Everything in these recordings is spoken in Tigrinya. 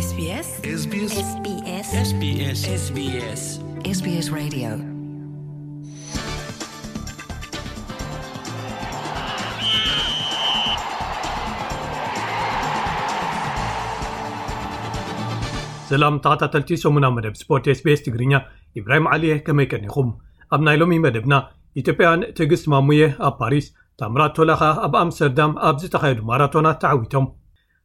SBS SBS SBS SBS SBS SBS Radio. ሰላም ተኸታተልቲ ሰሙና መደብ ስፖርት SBS ትግርኛ፣ ኢብራሂም ዓሊየ፣ ከመይ ቀኒኹም? ኣብ ናይ ሎሚ መደብና፣ ኢትዮጵያውያን ትዕግስት ማሙየ ኣብ ፓሪስ፣ ታምራት ቶላ ኸኣ ኣብ ኣምስተርዳም ኣብ ዝተኻየዱ ማራቶናት ተዓዊቶም።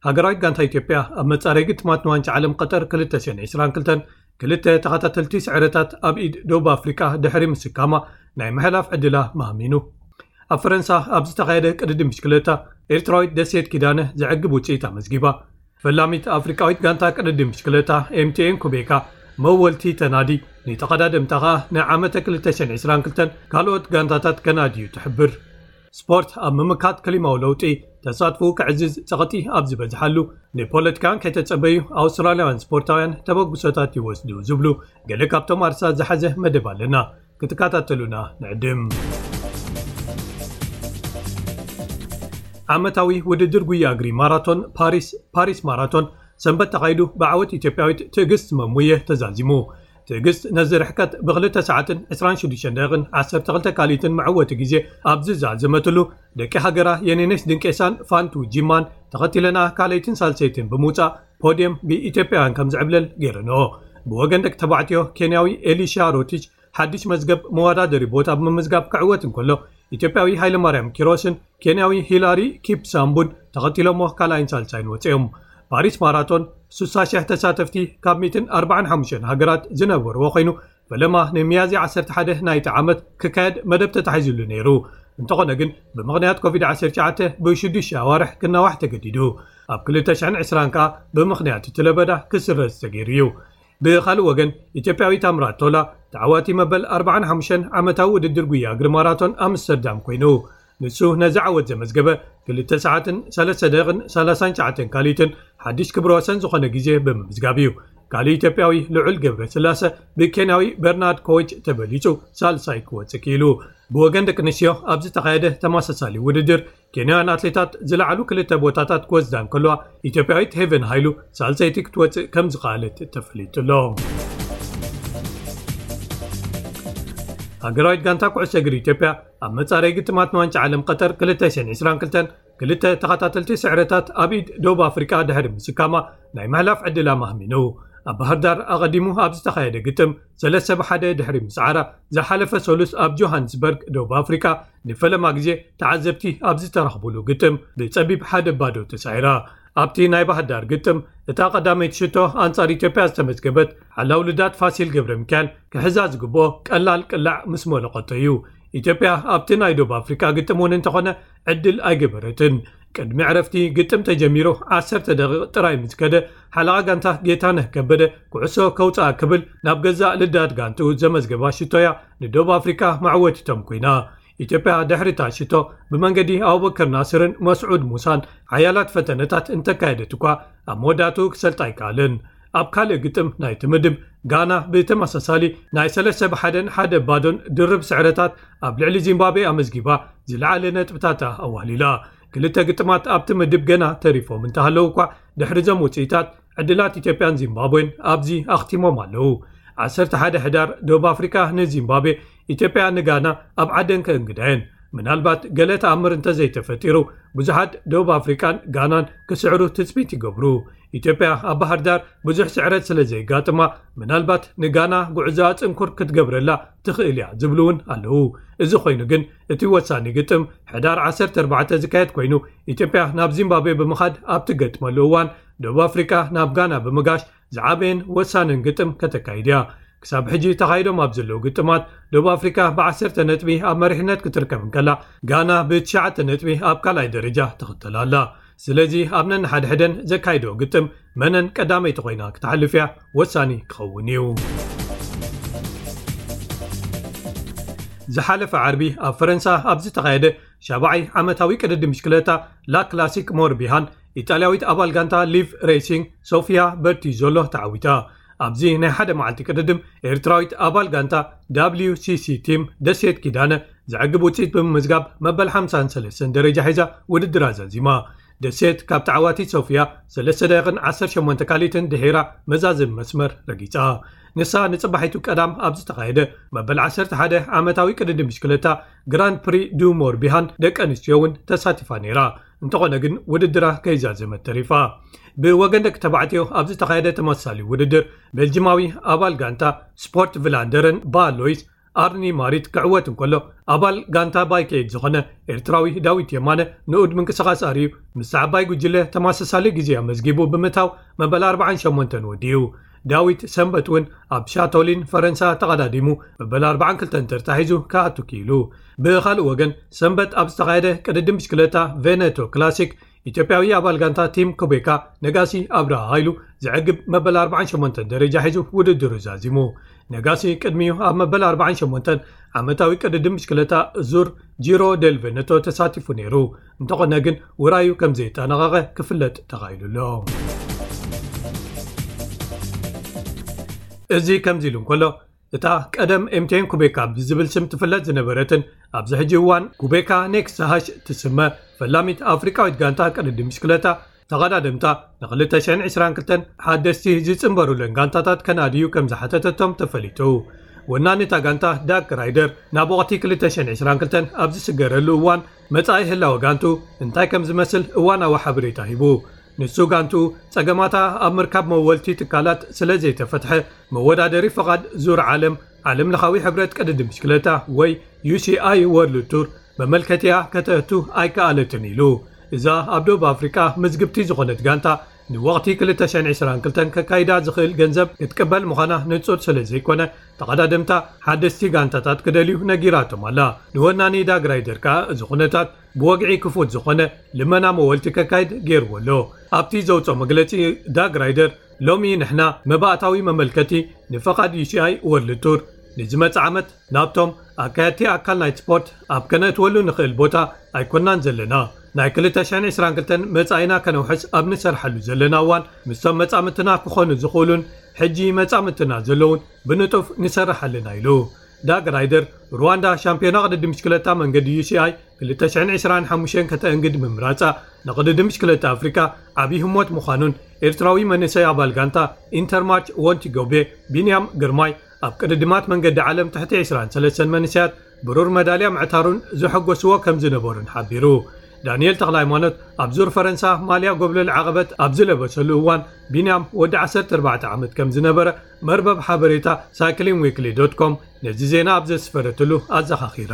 ሃገራዊት ጋንታ ኢትዮጵያ ኣብ መጻረይ ግጥማት ንዋንጫ ዓለም ቀጠር ክልተ ሽሕን ዕስራን ክልተን ክልተ ተኸታተልቲ ስዕረታት ኣብ ኢድ ደቡብ ኣፍሪቃ ድሕሪ ምስካማ ናይ ምሕላፍ ዕድላ ማህሚኑ። ኣብ ፈረንሳ ኣብ ዝተኻየደ ቅድድም ብሽክለታ ኤርትራዊት ደሴት ኪዳነ ዘዕግብ ውጽኢት ኣመዝጊባ። ፈላሚት ኣፍሪቃዊት ጋንታ ቅድድም ብሽክለታ M T N ኩቤካ መወልቲ ተናዲ፣ ንተቐዳደምታ ኸኣ ንዓመተ ክልተ ሽሕን ዕስራን ክልተን ካልኦት ጋንታታት ከናድዩ ትሕብር። ስፖርት ኣብ ምምካት ክሊማዊ ለውጢ ተሳትፎኡ ከዕዝዝ ጸቕጢ ኣብ ዝበዝሓሉ፣ ንፖለቲካን ከይተጸበዩ ኣውስትራልያውያን ስፖርታውያን ተበግሶታት ይወስዱ ዝብሉ ገለ ካብቶም ኣርሳ ዝሓዘ መደብ ኣለና። ክትከታተሉና ንዕድም። ዓመታዊ ውድድር ጉያ እግሪ ማራቶን ፓሪስ፣ ፓሪስ ማራቶን፣ ሰንበት ተኻይዱ ብዓወት ኢትዮጵያዊት ትዕግስት መሙየ ተዛዚሙ። ትዕግስት ነዚ ርሕቀት ብክልተ ሰዓትን ዕስራን ሽዱሽተን ደቂቕን ዓሰርተ ክልተ ካልኢትን መዕወቲ ግዜ ኣብ ዝዛዘመትሉ፣ ደቂ ሃገራ የኔነሽ ድንቄሳን ፋንቱ ጂማን ተኸቲለና ካልኣይትን ሳልሰይትን ብምውጻእ ፖድየም ብኢትዮጵያውያን ከም ዝዕብለል ገይረንኦ። ብወገን ደቂ ተባዕትዮ ኬንያዊ ኤሊሻ ሮቲች ሓድሽ መዝገብ መወዳደሪ ቦታ ብምምዝጋብ ክዕወት እንከሎ፣ ኢትዮጵያዊ ሃይለማርያም ኪሮስን ኬንያዊ ሂላሪ ኪፕሳምቡን ተኸቲሎሞ ካልኣይን ሳልሳይን ወፂኦም። ፓሪስ ማራቶን ሱሳ ሽሕ ተሳተፍቲ ካብ ሚእትን ኣርባዓን ሓሙሽተን ሃገራት ዝነበርዎ ኮይኑ፣ ፈለማ ንሚያዝያ ዓሰርተ ሓደ ናይቲ ዓመት ክካየድ መደብ ተታሒዙሉ ነይሩ። እንተኾነ ግን ብምኽንያት ኮቪድ ዓሰርተ ትሽዓተ ብሽዱሽተ ኣዋርሕ ክናዋሕ ተገዲዱ። ኣብ ክልተ ሽሕን ዕስራን ከኣ ብምኽንያት እቲ ለበዳ ክስረዝ ተገይሩ እዩ። ብኻልእ ወገን፣ ኢትዮጵያዊ ታምራት ቶላ ተዓዋቲ መበል ኣርባዓን ሓሙሽተን ዓመታዊ ውድድር ጉያ እግሪ ማራቶን ኣምስተርዳም ኮይኑ፣ ንሱ ነዚ ዓወት ዘመዝገበ ክልተ ሰዓትን ሰለስተ ደቂቕን ሰላሳን ትሽዓተን ካልኢትን ሓድሽ ክብረ ወሰን ዝኾነ ግዜ ብምምዝጋብ እዩ። ካልእ ኢትዮጵያዊ ልዑል ገብረ ስላሰ ብኬንያዊ በርናርድ ኮች ተበሊጹ ሳልሳይ ክወጽእ ክኢሉ። ብወገን ደቂ ኣንስትዮ ኣብ ዝተኻየደ ተመሳሳሊ ውድድር፣ ኬንያውያን ኣትሌታት ዝለዓሉ ክልተ ቦታታት ክወስዳ እንከለዋ፣ ኢትዮጵያዊት ሄቨን ሃይሉ ሳልሰይቲ ክትወጽእ ከም ዝኸኣለት ተፈሊጡ ኣሎ። ሃገራዊት ጋንታ ኩዕሶ እግሪ ኢትዮጵያ ኣብ መጻረይ ግጥማት ንዋንጫ ዓለም ቀጠር ክልተ ሽሕን ዕስራን ክልተን ክልተ ተኸታተልቲ ስዕረታት ኣብ ኢድ ደቡብ ኣፍሪቃ ድሕሪ ምስካማ ናይ ምሕላፍ ዕድላ ማህሚኑ። ኣብ ባህር ዳር ኣቐዲሙ ኣብ ዝተኻየደ ግጥም ሰለስተ ብሓደ ድሕሪ ምስዓራ፣ ዝሓለፈ ሰሉስ ኣብ ጆሃንስበርግ ደቡብ ኣፍሪቃ ንፈለማ ግዜ ተዓዘብቲ ኣብ ዝተረኽቡሉ ግጥም ብጸቢብ ሓደ ባዶ ተሳዒራ። ኣብቲ ናይ ባህር ዳር ግጥም እታ ቀዳመይቲ ሽቶ ኣንጻር ኢትዮጵያ ዝተመዝገበት ሓላው ልዳት ፋሲል ገብረ ሚካኤል ክሕዛ ዝግብኦ ቀላል ቅላዕ ምስ መለቐቶ እዩ። ኢትዮጵያ ኣብቲ ናይ ደቡብ ኣፍሪቃ ግጥም እውን እንተኾነ ዕድል ኣይገበረትን። ቅድሚ ዕረፍቲ ግጥም ተጀሚሩ ዓሰርተ ደቂቕ ጥራይ ምስ ከደ፣ ሓለቓ ጋንታ ጌታነህ ከበደ ኩዕሶ ከውጽኣ ክብል ናብ ገዛእ ልዳት ጋንትኡ ዘመዝገባ ሽቶያ ንደቡብ ኣፍሪቃ መዕወቲቶም ኮይና። ኢትዮጵያ ድሕሪ እታ ሽቶ ብመንገዲ ኣቡበከር ናስርን መስዑድ ሙሳን ሓያላት ፈተነታት እንተካየደት እኳ፣ ኣብ መወዳእትኡ ክሰልጣ ኣይከኣለን። ኣብ ካልእ ግጥም ናይቲ ምድብ፣ ጋና ብተመሳሳሊ ናይ ሰለስተ ብሓደን ሓደ ባዶን ድርብ ስዕረታት ኣብ ልዕሊ ዚምባብዌ ኣመዝጊባ ዝለዓለ ነጥብታታ ኣዋህሊላ። ክልተ ግጥማት ኣብቲ ምድብ ገና ተሪፎም እንተሃለዉ እኳ፣ ድሕሪ እዞም ውጽኢታት ዕድላት ኢትዮጵያን ዚምባብዌን ኣብዚ ኣኽቲሞም ኣለዉ። ዓሰርተ ሓደ ሕዳር ደቡብ ኣፍሪቃ ንዚምባብዌ፣ ኢትዮጵያ ንጋና ኣብ ዓደን ከእንግዳ እየን። ምናልባት ገለ ተኣምር እንተዘይተፈጢሩ፣ ብዙሓት ደቡብ ኣፍሪቃን ጋናን ክስዕሩ ትጽቢት ይገብሩ። ኢትዮጵያ ኣብ ባህር ዳር ብዙሕ ስዕረት ስለ ዘየጋጥማ፣ ምናልባት ንጋና ጉዕዞኣ ጽንኩር ክትገብረላ ትኽእል እያ ዝብሉ እውን ኣለዉ። እዚ ኮይኑ ግን፣ እቲ ወሳኒ ግጥም ሕዳር ዓሰርተ ኣርባዕተ ዝካየድ ኮይኑ፣ ኢትዮጵያ ናብ ዚምባብዌ ብምኻድ ኣብ ትገጥመሉ እዋን፣ ደቡብ ኣፍሪቃ ናብ ጋና ብምጋሽ ዝዓበየን ወሳንን ግጥም ከተካይድ እያ። ክሳብ ሕጂ ተኻይዶም ኣብ ዘለዉ ግጥማት፣ ደቡብ ኣፍሪቃ ብዓሰርተ ነጥቢ ኣብ መሪሕነት ክትርከብ እንከላ፣ ጋና ብትሽዓተ ነጥቢ ኣብ ካልኣይ ደረጃ ትኽተል ኣላ። ስለዚ ኣብ ነንሓድሕደን ዘካይዶ ግጥም መነን ቀዳመይቲ ኮይና ክትሓልፍ እያ ወሳኒ ክኸውን እዩ። ዝሓለፈ ዓርቢ ኣብ ፈረንሳ ኣብ ዝተኻየደ ሻብዓይ ዓመታዊ ቅድድም ብሽክለታ ላ ክላሲክ ሞርቢሃን፣ ኢጣልያዊት ኣባል ጋንታ ሊቭ ሬሲንግ ሶፊያ በርቲዞሎ ተዓዊታ። ኣብዚ ናይ ሓደ መዓልቲ ቅድድም፣ ኤርትራዊት ኣባል ጋንታ W C C ቲም ደሴት ኪዳነ ዘዕግብ ውጽኢት ብምምዝጋብ፣ መበል ሓምሳን ሰለስተን ደረጃ ሒዛ ውድድራ ዛዚማ። ደሴት ካብ ተዓዋቲት ሶፍያ ሰለስተ ደቂቕን ዓሰርተ ሸሞንተ ካልኢትን ድሒራ መዛዘሚ መስመር ረጊጻ። ንሳ ንጽባሒቱ ቀዳም ኣብ ዝተኻየደ መበል ዓሰርተ ሓደ ዓመታዊ ቅድድም ብሽክለታ ግራንድ ፕሪ ዱ ሞርቢሃን ደቂ ኣንስትዮ እውን ተሳቲፋ ነይራ። እንተኾነ ግን ውድድራ ከይዛዘመት ተሪፋ። ብወገን ደቂ ተባዕትዮ ኣብ ዝተኻየደ ተመሳሳሊ ውድድር ቤልጅማዊ ኣባል ጋንታ ስፖርት ቭላንደረን ባሎይስ ኣርኒ ማሪት ክዕወት እንከሎ፣ ኣባል ጋንታ ባይከይድ ዝኾነ ኤርትራዊ ዳዊት የማነ ንኡድ ምንቅስቓስ ኣርእዩ ምስ ዓባይ ጉጅለ ተመሳሳሊ ግዜ ኣመዝጊቡ ብምእታው መበል ኣርባዓን ሸሞንተን ወዲኡ። ዳዊት ሰንበት እውን ኣብ ሻቶሊን ፈረንሳ ተቐዳዲሙ መበል ኣርባዓን ክልተን ተርታ ሒዙ ክኣቱ ክኢሉ። ብኻልእ ወገን ሰንበት ኣብ ዝተኻየደ ቅድድም ብሽክለታ ቬነቶ ክላሲክ ኢትዮጵያዊ ኣባል ጋንታ ቲም ኮቤካ ነጋሲ ኣብርሃ ሃይሉ ዘዕግብ መበል ኣርባዓን ሸሞንተን ደረጃ ሒዙ ውድድሩ ዛዚሙ። ነጋሲ ቅድሚኡ ኣብ መበል ኣርባዓን ሸሞንተን ዓመታዊ ቅድድም ብሽክለታ ዙር ጂሮ ደል ቬነቶ ተሳቲፉ ነይሩ። እንተኾነ ግን ውራዩ ከም ዘየጠናቐቐ ክፍለጥ ተኻኢሉ ኣሎ። እዚ ከምዚ ኢሉ እንከሎ፣ እታ ቀደም ኤምቴን ኩቤካ ብዝብል ስም ትፍለጥ ዝነበረትን ኣብዚ ሕጂ እዋን ኩቤካ ኔክስት ሃሽ ትስመ ፈላሚት ኣፍሪቃዊት ጋንታ ቅድድም ብሽክለታ ተቐዳደምታ ንክልተ ሽሕን ዕስራን ክልተን ሓደስቲ ዝጽንበሩለን ጋንታታት ከናድዩ ከም ዝሓተተቶም ተፈሊጡ። ወናኒታ ጋንታ ዳክ ራይደር ናብ ወቕቲ ክልተ ሽሕን ዕስራን ክልተን ኣብ ዝስገረሉ እዋን መጻኢ ህላወ ጋንቱ እንታይ ከም ዝመስል እዋናዊ ሓበሬታ ሂቡ። ንሱ ጋንቱ ጸገማታ ኣብ ምርካብ መወልቲ ትካላት ስለ ዘይተፈትሐ መወዳደሪ ፍቓድ ዙር ዓለም ዓለም ለኻዊ ሕብረት ቅድድም ብሽክለታ ወይ ዩ ሲ ኣይ ወርልድ ቱር መመልከቲያ ከተእቱ ኣይከኣለትን ኢሉ። እዛ ኣብ ደቡብ ኣፍሪቃ ምዝግብቲ ዝኾነት ጋንታ ንወቕቲ ክልተ ሽሕን ዕስራን ክልተን ከካይዳ ዝኽእል ገንዘብ ክትቅበል ምዃና ንጹር ስለ ዘይኮነ፣ ተቐዳደምታ ሓደስቲ ጋንታታት ክደልዩ ነጊራቶም ኣላ። ንወናኒ ዳግ ራይደር ከኣ እዚ ኩነታት ብወግዒ ክፉት ዝኾነ ልመና መወልቲ ከካይድ ገይርዎ ኣሎ። ኣብቲ ዘውፅኦ መግለፂ ዳግ ራይደር፣ ሎሚ ንሕና መባእታዊ መመልከቲ ንፈቓድ ዩ ሲ ኣይ ወርልድ ቱር ንዝመጽእ ዓመት ናብቶም ኣካየድቲ ኣካል ናይቲ ስፖርት ኣብ ከነእትወሉ ንኽእል ቦታ ኣይኮናን ዘለና። ናይ ክልተ ሽሕን ዕስራን ክልተን መጻኢና ከነውሕስ ኣብ ንሰርሓሉ ዘለና እዋን፣ ምስቶም መጻምትና ክኾኑ ዝኽእሉን ሕጂ መጻምትና ዘለውን ብንጡፍ ንሰርሕ ኣለና ኢሉ። ዳግ ራይደር፣ ሩዋንዳ ሻምፒዮና ቅድድም ብሽክለታ መንገዲ ዩ ሲ ኣይ ክልተ ሽሕን ዕስራን ሓሙሽተን ከተእንግድ ምምራጻ ንቅድድም ብሽክለታ ኣፍሪካ ዓብዪ ህሞት ምዃኑን ኤርትራዊ መንእሰይ ኣባል ጋንታ ኢንተርማርች ወንቲ ጎቤ ቢንያም ግርማይ ኣብ ቅድድማት መንገዲ ዓለም ትሕቲ ዕስራን ሰለስተን መንእሰያት ብሩር መዳልያ ምዕታሩን ዘሐጎስዎ ከም ዝነበሩን ሓቢሩ። ዳንኤል ተኽለ ሃይማኖት ኣብ ዙር ፈረንሳ ማልያ ጎብለል ዓቐበት ኣብ ዝለበሰሉ እዋን ቢንያም ወዲ ዓሰርተ ኣርባዕተ ዓመት ከም ዝነበረ መርበብ ሓበሬታ ሳይክሊን ዊክሊ ዶት ኮም ነዚ ዜና ኣብ ዘስፈረትሉ ኣዘኻኺራ።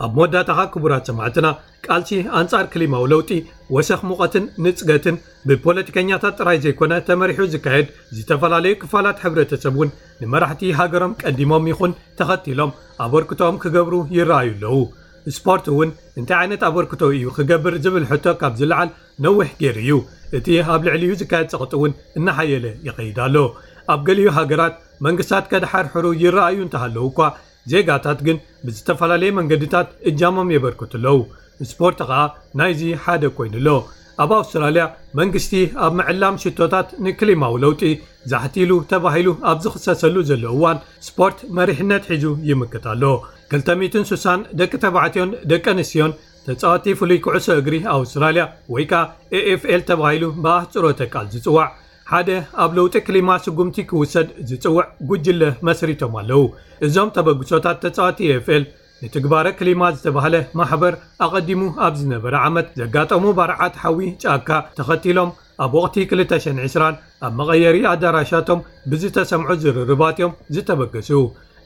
ኣብ መወዳእታ ክቡራት ሰማዕትና፣ ቃልሲ ኣንጻር ክሊማዊ ለውጢ፣ ወሰኽ ሙቐትን ንጽገትን ብፖለቲከኛታት ጥራይ ዘይኮነ ተመሪሑ ዝካየድ፣ ዝተፈላለዩ ክፋላት ሕብረተሰብ እውን ንመራሕቲ ሃገሮም ቀዲሞም ይኹን ተኸቲሎም ኣበርክቶኦም ክገብሩ ይረኣዩ ኣለዉ። ስፖርት እውን እንታይ ዓይነት ኣበርክቶ እዩ ክገብር ዝብል ሕቶ ካብ ዝለዓል ነዊሕ ገይሩ እዩ። እቲ ኣብ ልዕሊኡ ዝካየድ ጸቕጢ እውን እናሓየለ ይኸይድ ኣሎ። ኣብ ገሊኡ ሃገራት መንግስታት ከድሓርሕሩ ይረኣዩ እንተሃለዉ እኳ፣ ዜጋታት ግን ብዝተፈላለየ መንገድታት እጃሞም የበርክቱ ኣለዉ። ስፖርት ኸኣ ናይዚ ሓደ ኮይኑ ኣሎ። ኣብ ኣውስትራልያ መንግስቲ ኣብ ምዕላም ሽቶታት ንክሊማዊ ለውጢ ዛሕቲሉ ተባሂሉ ኣብ ዝኽሰሰሉ ዘሎ እዋን፣ ስፖርት መሪሕነት ሒዙ ይምክት ኣሎ። ክልተ ሚእትን ስሳን ደቂ ተባዕትዮን ደቂ ኣንስትዮን ተጻወቲ ፍሉይ ኩዕሶ እግሪ ኣውስትራልያ ወይ ከኣ ኤ ኤፍ ኤል ተባሂሉ ብኣህጽሮተ ቃል ዝጽዋዕ ሓደ ኣብ ለውጢ ክሊማ ስጉምቲ ክውሰድ ዝጽውዕ ጉጅለ መስሪቶም ኣለዉ። እዞም ተበግሶታት ተጻወቲ ኤ ኤፍ ኤል ንትግባረ ክሊማ ዝተባህለ ማሕበር ኣቐዲሙ ኣብ ዝነበረ ዓመት ዘጋጠሙ ባርዓት ሓዊ ጫካ ተኸቲሎም ኣብ ወቕቲ ክልተ ሽሕን ዕስራን ኣብ መቐየሪ ኣዳራሻቶም ብዝተሰምዑ ዝርርባት እዮም ዝተበገሱ።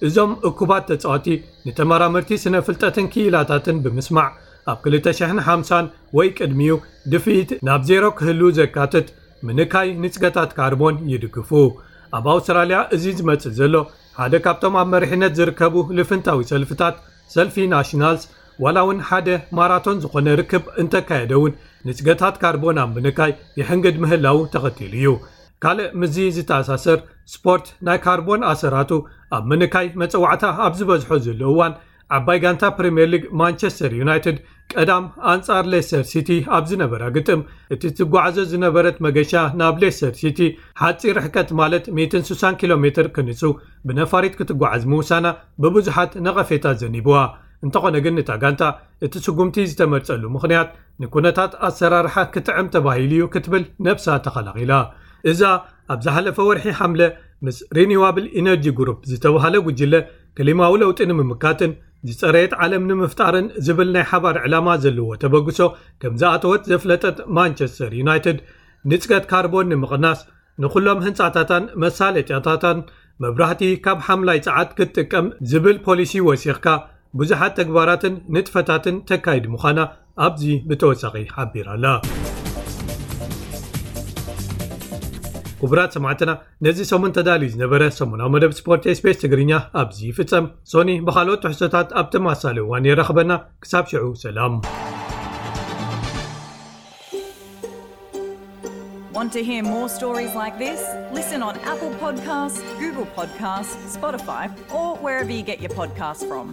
እዞም እኩባት ተጻወቲ ንተመራመርቲ ስነ ፍልጠትን ክኢላታትን ብምስማዕ ኣብ ክልተ ሽሕን ሓምሳን ወይ ቅድሚኡ ድፍኢት ናብ ዜሮ ክህሉ ዘካትት ምንካይ ንጽገታት ካርቦን ይድግፉ። ኣብ ኣውስትራልያ እዚ ዝመጽእ ዘሎ ሓደ ካብቶም ኣብ መሪሕነት ዝርከቡ ልፍንታዊ ሰልፍታት ሰልፊ ናሽናልስ ዋላ እውን ሓደ ማራቶን ዝኾነ ርክብ እንተካየደ እውን ንጽገታት ካርቦን ኣብ ምንካይ ይሕንግድ ምህላው ተኸቲሉ እዩ። ካልእ ምስዚ ዝተኣሳሰር ስፖርት ናይ ካርቦን ኣሰራቱ ኣብ ምንካይ መጸዋዕታ ኣብ ዝበዝሖ ዘሎ እዋን ዓባይ ጋንታ ፕሪምየር ሊግ ማንቸስተር ዩናይትድ ቀዳም ኣንጻር ሌስተር ሲቲ ኣብ ዝነበራ ግጥም እቲ ትጓዓዞ ዝነበረት መገሻ ናብ ሌስተር ሲቲ ሓጺር ርሕቀት ማለት ሚእትን ስሳን ኪሎ ሜትር ክንሱ ብነፋሪት ክትጓዓዝ ምውሳና ብብዙሓት ነቐፌታ ዘኒብዋ። እንተኾነ ግን እታ ጋንታ እቲ ስጉምቲ ዝተመርጸሉ ምኽንያት ንኩነታት ኣሰራርሓ ክትዕም ተባሂሉ እዩ ክትብል ነብሳ ተኸላኺላ። እዛ ኣብ ዝሓለፈ ወርሒ ሓምለ ምስ ሪኒዋብል ኢነርጂ ግሩፕ ዝተባህለ ጉጅለ ክሊማዊ ለውጢ ንምምካትን ዝጸረየት ዓለም ንምፍጣርን ዝብል ናይ ሓባር ዕላማ ዘለዎ ተበግሶ ከም ዝኣተወት ዘፍለጠት ማንቸስተር ዩናይትድ፣ ንጽገት ካርቦን ንምቕናስ ንኹሎም ህንጻታታን መሳለጥያታታን መብራህቲ ካብ ሓምላይ ጸዓት ክትጥቀም ዝብል ፖሊሲ ወሲኽካ ብዙሓት ተግባራትን ንጥፈታትን ተካይድ ምዃና ኣብዚ ብተወሳኺ ሓቢራ ኣላ። ክቡራት ሰማዕትና፣ ነዚ ሰሙን ተዳልዩ ዝነበረ ሰሙናዊ መደብ ስፖርት ኤስቤስ ትግርኛ ኣብዚ ይፍጸም። ሶኒ ብኻልኦት ትሕዝቶታት ኣብ ተመሳሳሊ እዋን የራኽበና። ክሳብ ሽዑ ሰላም። Want to hear more stories like this? Listen on Apple Podcasts, Google Podcasts, Spotify, or wherever you get your podcasts from.